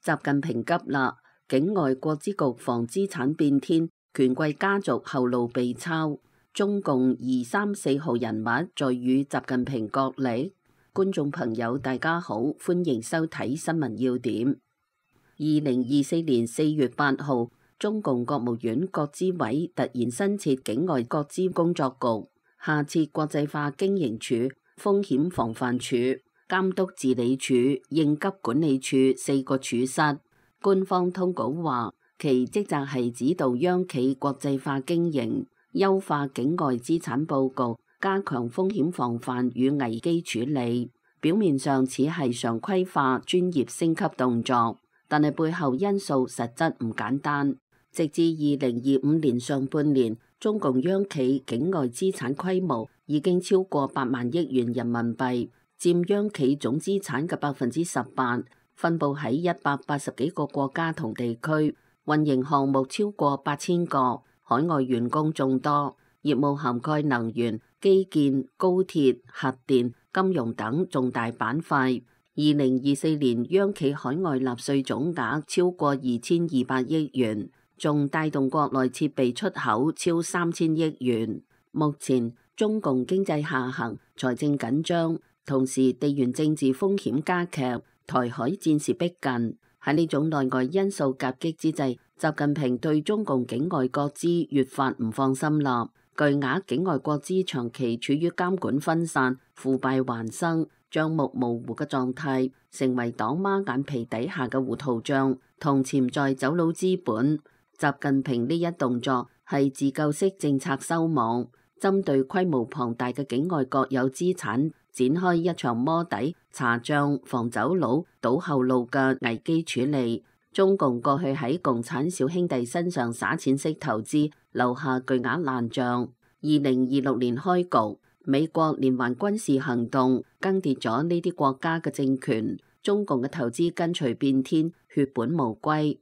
習近平急啦！境外國資局防資產變天，權貴家族後路被抄。中共2、3、4號人物在與習近平角力。觀眾朋友大家好，歡迎收睇新聞要點。2024年4月8號，中共國務院國資委突然新設境外國資工作局，下設國際化經營處、風險防範處、監督治理處、應急管理處4個處室。官方通稿話，其職責係指導央企國際化經營，優化境外資產佈局，加強風險防範與危機處理。表面上似係常規化專業升級動作，但係背後因素實質唔簡單。直至2025年上半年，中共央企境外資產規模已經超過8萬億元人民幣，佔央企總資產嘅18%，分佈喺180幾個國家同地區，運營項目超過8000個，海外員工眾多，業務涵蓋能源、基建、高鐵、核電、金融等重大板塊。2024年央企海外納稅總額超過2200億元，仲帶動國內設備出口超3000億元。目前中共經濟下行，財政緊張，同時地緣政治風險加劇，台海戰事逼近。喺呢種內外因素夾擊之際，習近平對中共境外國資越發唔放心啦。巨額境外國資長期處於監管分散、腐敗橫生、帳目模糊嘅狀態，成為黨媽眼皮底下嘅糊塗帳同潛在走佬資本。習近平呢一動作係自救式政策收網，針對規模龐大嘅境外國有資產展開一場摸底、查帳、防走佬、堵後路嘅危機處理。中共過去喺共產小兄弟身上撒錢式投資，留下巨額爛帳。2026年開局，美國連環軍事行動更迭咗呢啲國家嘅政權，中共嘅投資跟隨變天，血本無歸。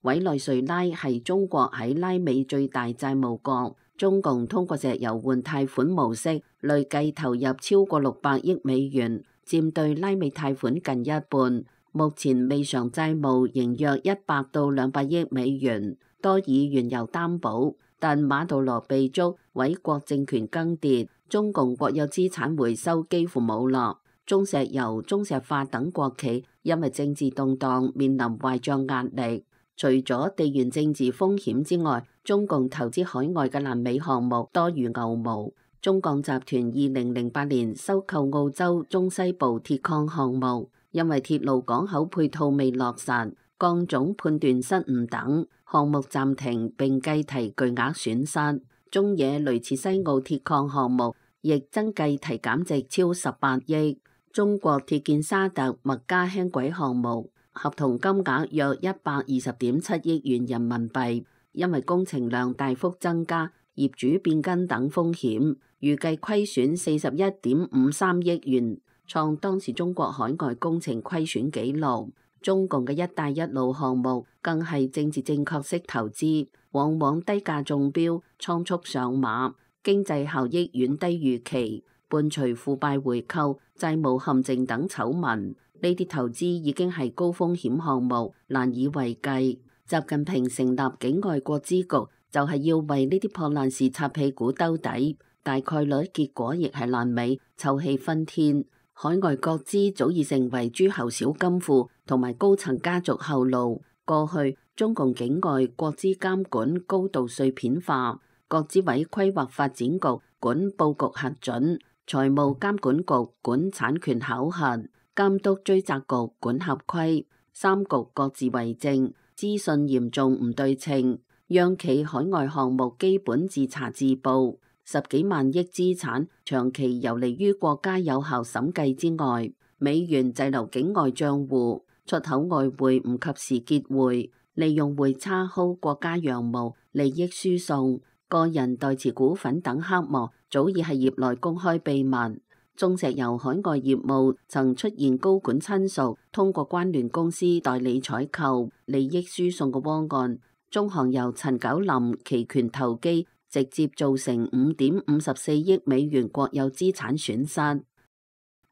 委內瑞拉係中國喺拉美最大債務國，中共通過石油換貸款模式，累計投入超過600億美元，佔對拉美貸款近一半。目前未償債務仍約100到200億美元，多以原油擔保。但馬杜羅被捉，委國政權更迭，中共國有資產回收幾乎冇落。中石油、中石化等國企因為政治動盪面臨壞賬壓力。除咗地緣政治風險之外，中共投資海外嘅爛尾項目多如牛毛。中鋼集團2008年收購澳洲中西部鐵礦項目，因為鐵路港口配套未落實、鋼種判斷失誤等，項目暫停並計提巨額損失。中冶雷切西澳鐵礦項目亦增計提減值超18億。中國鐵建沙特麥加輕軌項目合同金額約120.7億元人民幣，因為工程量大幅增加、業主變更等風險，預計虧損41.53億元，創當時中國海外工程虧損紀錄。中共嘅一帶一路項目更係政治正確式投資，往往低價中標、倉促上馬，經濟效益遠低預期，伴隨腐敗回購、債務陷阱等醜聞。呢啲投資已經係高風險項目，難以為繼。習近平成立境外國資局，就係要為呢啲破爛事擦屁股兜底，大概率結果亦係爛尾，臭氣熏天。海外國資早已成為諸侯小金庫同埋高層家族後路。過去中共境外國資監管高度碎片化，國資委規劃發展局管佈局核准，財務監管局管產權考核，監督追責局管合規，三局各自為政，資訊嚴重唔對稱，央企海外項目基本自查自報，10幾萬億資產長期游離於國家有效審計之外，美元滯留境外賬戶，出口外匯唔及時結匯，利用匯差薅國家羊毛，利益輸送，個人代持股份等黑幕早已係業內公開秘密。中石油海外業務曾出現高管親屬通過關聯公司代理採購、利益輸送嘅窩案。中航油陳九林期權投機，直接造成5.54億美元國有資產損失。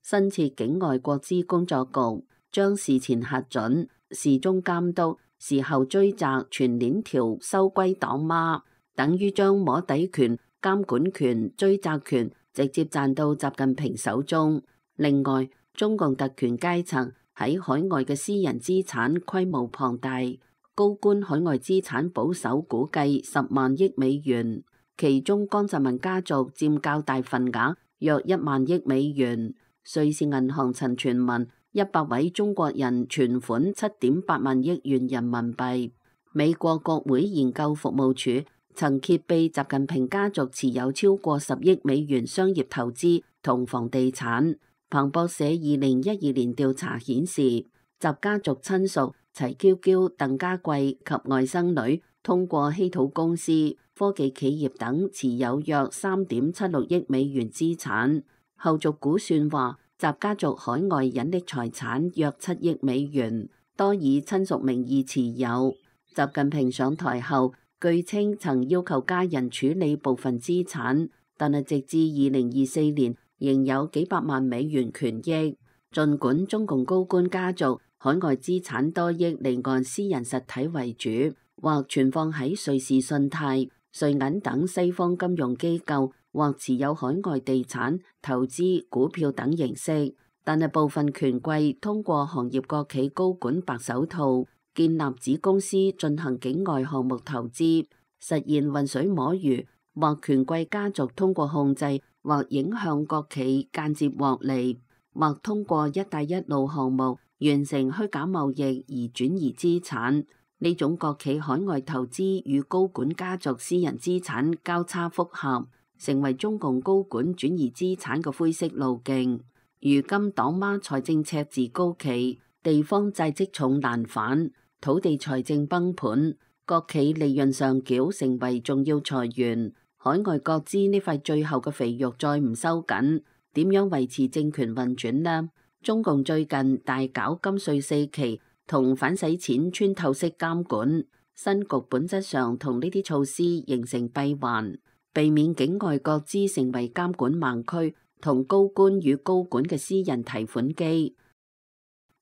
新設境外國資工作局將事前核准事中監督，事後追責全鏈條收歸黨媽，等於將摸底權、監管權、追責權直接賺到習近平手中。另外，中共特權階層喺海外嘅私人資產規模龐大，高官海外資產保守估計10萬億美元，其中江澤民家族佔較大份額，約1萬億美元。瑞士銀行曾傳聞100位中國人存款7.8萬億元人民幣。美國國會研究服務處曾揭秘習近平家族持有超過10億美元商業投資同房地產。彭博社2012年調查顯示，習家族親屬齊嬌嬌、鄧家貴及外甥女通過稀土公司、科技企業等持有約3.76億美元資產。後續估算話，習家族海外隱匿財產約7億美元，多以親屬名義持有。習近平上台後，據稱曾要求家人處理部分資產，但係直至2024年，仍有幾百萬美元權益。儘管中共高官家族海外資產多以離岸私人實體為主，或存放喺瑞士信貸、瑞銀等西方金融機構，或持有海外地產、投資、股票等形式，但係部分權貴通過行業國企高管白手套建立子公司進行境外項目投資，實現渾水摸魚，或權貴家族通過控制或影響國企間接獲利，或通過一帶一路項目完成虛假貿易而轉移資產。呢種國企海外投資與高管家族私人資產交叉複合，成為中共高管轉移資產嘅灰色路徑。如今黨媽財政赤字高企，地方債積重難返，土地財政崩盤，國企利潤上繳成為重要財源。海外國資呢塊最後嘅肥肉再唔收緊，點樣維持政權運轉呢？中共最近大搞金稅4期同反洗錢穿透式監管，新局本質上同呢啲措施形成閉環，避免境外國資成為監管盲區同高官與高管嘅私人提款機。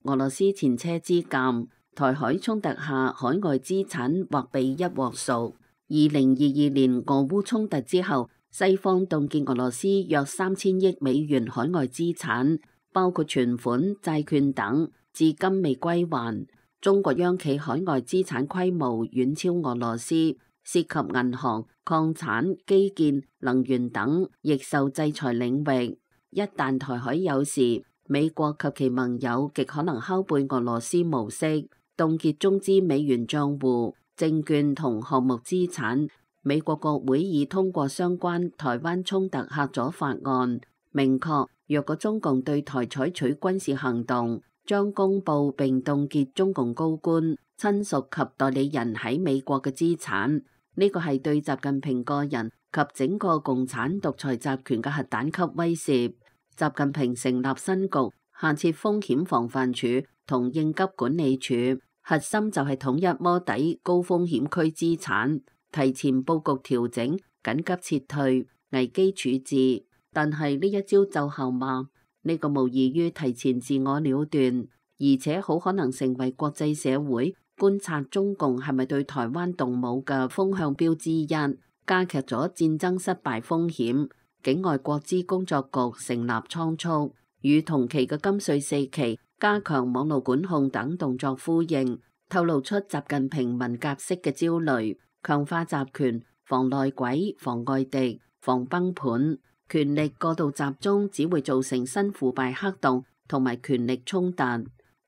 俄羅斯前車之鑑，台海衝突下海外資產或被一鑊熟。2022年俄烏衝突之後，西方凍結俄羅斯約3000億美元海外資產，包括存款、債券等，至今未歸還。中國央企海外資產規模遠超俄羅斯，涉及銀行、礦產、基建、能源等，亦受制裁領域。一旦台海有事，美國及其盟友極可能拷貝俄羅斯模式，凍結中資美元賬戶、證券同項目資產。美國國會已通過相關台灣衝突嚇阻法案，明確若果中共對台採取軍事行動，將公布並凍結中共高官、親屬及代理人喺美國嘅資產。呢個係對習近平個人及整個共產獨裁集權嘅核彈級威懾。習近平成立新局，下設風險防範處同應急管理處，核心就係統一摸底高風險區資產，提前佈局調整、緊急撤退、危機處置。但係呢一招奏效嗎？呢個無異於提前自我了斷，而且好可能成為國際社會觀察中共係咪對台灣動武嘅風向標之一，加劇咗戰爭失敗風險。境外國資工作局成立倉促，與同期嘅金稅4期加強網絡管控等動作呼應，透露出習近平文革式嘅焦慮，強化集權、防內鬼、防外敵、防崩盤。權力過度集中只會造成新腐敗黑洞同埋權力衝突。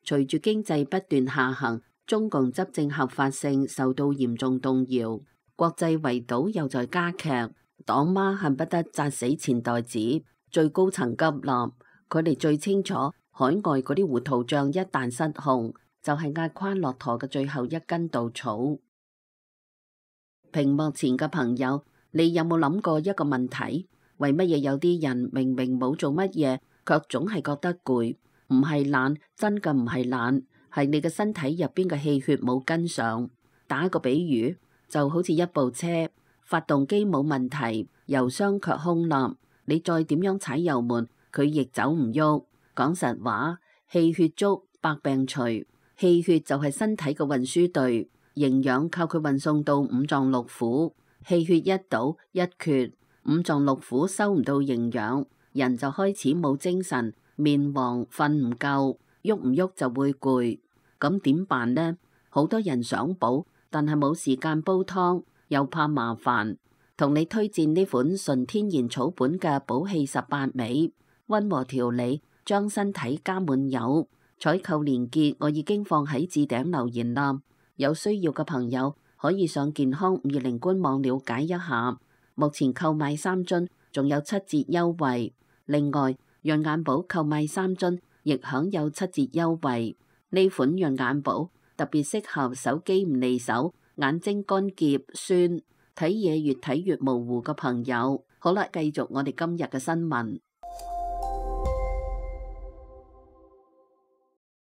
隨住經濟不斷下行，中共執政合法性受到嚴重動搖，國際圍堵又在加劇。黨媽恨不得砸死錢袋子，最高層急立，佢哋最清楚海外嗰啲糊塗賬一旦失控，就係壓垮駱駝嘅最後一根稻草。屏幕前嘅朋友，你有冇諗過一個問題？為乜嘢有啲人明明冇做乜嘢，卻總係覺得攰？唔係懶，真嘅唔係懶，係你嘅身體入邊嘅氣血冇跟上。打個比喻，就好似一部車，發動機冇問題，油箱卻空立，你再點樣踩油門，佢亦走唔喐。講實話，氣血足，百病除。氣血就係身體嘅運輸隊，營養靠佢運送到五臟六腑。氣血一倒一缺，五臟六腑收唔到營養，人就開始冇精神，面黃，瞓唔夠，喐唔喐就會攰。咁點辦呢？好多人想補，但係冇時間煲湯，又怕麻煩。同你推薦呢款純天然草本嘅補氣18味，溫和調理，將身體加滿油。採購鏈接我已經放喺置頂留言啦，有需要嘅朋友可以上健康520官網了解一下。目前購買3樽仲有7折優惠，另外潤眼寶購買3樽亦享有7折優惠。呢款潤眼寶特別適合手機唔離手、眼睛乾澀酸、睇嘢越睇越模糊嘅朋友。好啦，繼續我哋今日嘅新聞。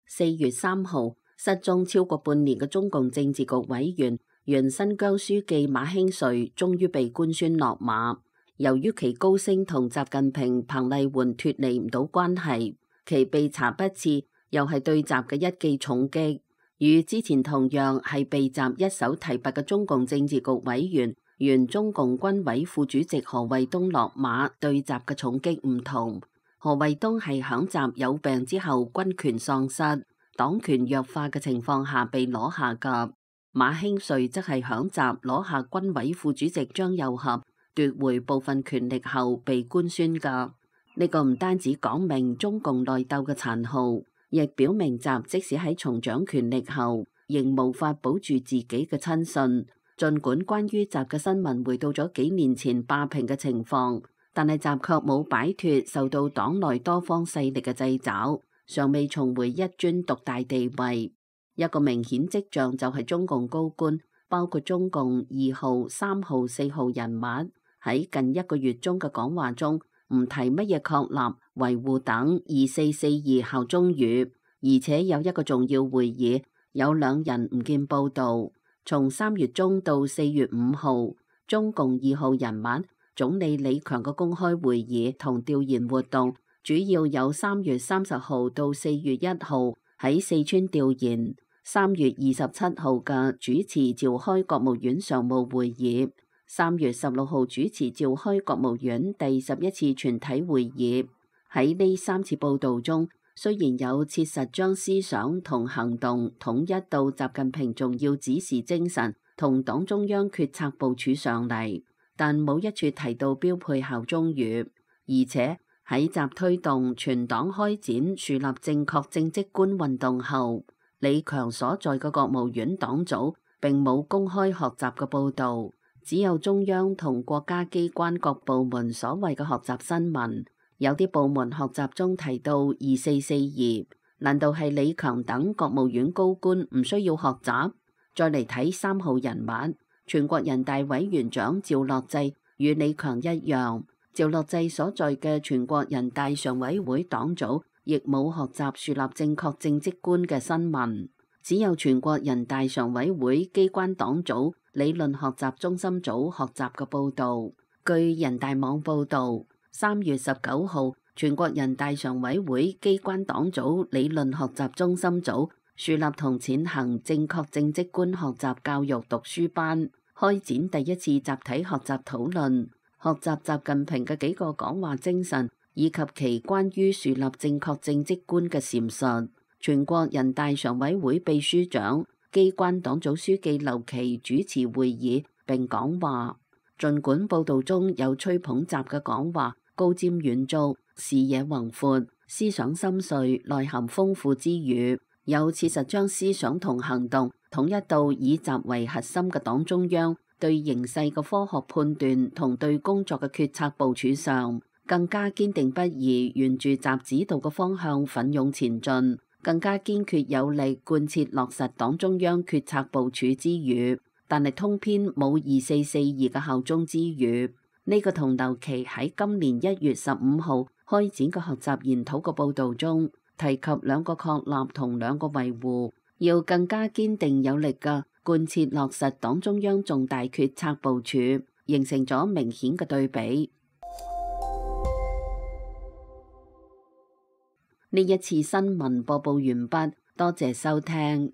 4月3號，失蹤超過半年嘅中共政治局委員、原新疆書記馬興瑞終於被官宣落馬。由於其高升同習近平、彭麗媛脫離唔到關係，其被查不次又係對習嘅一記重擊，與之前同樣係被習一手提拔嘅中共政治局委員、原中共軍委副主席何衛東落馬，對習嘅重擊唔同。何衛東係響習有病之後軍權喪失、黨權弱化嘅情況下被攞下噶，馬興瑞則係響習攞下軍委副主席張又俠，奪回部分權力後被官宣噶。呢個唔單止講明中共內鬥嘅殘酷，亦表明習即使喺重掌權力後，仍無法保住自己嘅親信。儘管關於習嘅新聞回到咗幾年前霸屏嘅情況，但係習卻冇擺脫受到黨內多方勢力嘅掣肘，尚未重回一尊獨大地位。一個明顯跡象就係中共高官，包括中共2號、3號、4號人物，喺近1個月中嘅講話中，唔提乜嘢確立、維護等2442效忠語，而且有一個重要會議，有2人唔見報導。從3月中到4月5號，中共2號人物總理李強嘅公開會議同調研活動，主要有3月30號到4月1號喺四川調研，3月27號嘅主持召開國務院常務會議，3月16號主持召開國務院第11次全體會議。喺呢3次報導中，雖然有切實將思想同行動統一到習近平重要指示精神同黨中央決策部署上嚟，但冇一處提到標配效忠語。而且喺習推動全黨開展樹立正確正職觀運動後，李強所在嘅國務院黨組並冇公開學習嘅報導，只有中央同國家機關各部門所謂嘅學習新聞。有啲部門學習中提到2442，難道係李強等國務院高官唔需要學習？再嚟睇3號人物，全國人大委員長趙樂際與李強一樣，趙樂際所在嘅全國人大常委會黨組亦冇學習樹立正確正職觀嘅新聞，只有全國人大常委會機關黨組理論學習中心組學習嘅報導。據人大網報導，3月19號，全國人大常委會機關黨組理論學習中心組樹立同踐行正確正職觀學習教育讀書班，開展第一次集體學習討論，學習習近平嘅幾個講話精神，以及其關於樹立正確正職觀嘅闡述。全國人大常委會秘書長、機關黨組書記劉奇主持會議並講話。儘管報導中有吹捧習嘅講話高瞻遠矚、視野宏闊、思想深邃、內涵豐富之餘，有切實將思想同行動統一到以習為核心嘅黨中央對形勢嘅科學判斷同對工作嘅決策部署上，更加堅定不移沿住習指導嘅方向奮勇前進，更加堅決有力貫徹落實黨中央決策部署之餘，但係通篇冇2442嘅效忠之語。呢個同劉奇喺今年1月15號開展嘅學習研討嘅報導中提及2個確立同2個維護，要更加堅定有力嘅貫徹落實黨中央重大決策部署，形成咗明顯嘅對比。呢一次新聞播報完畢，多謝收聽。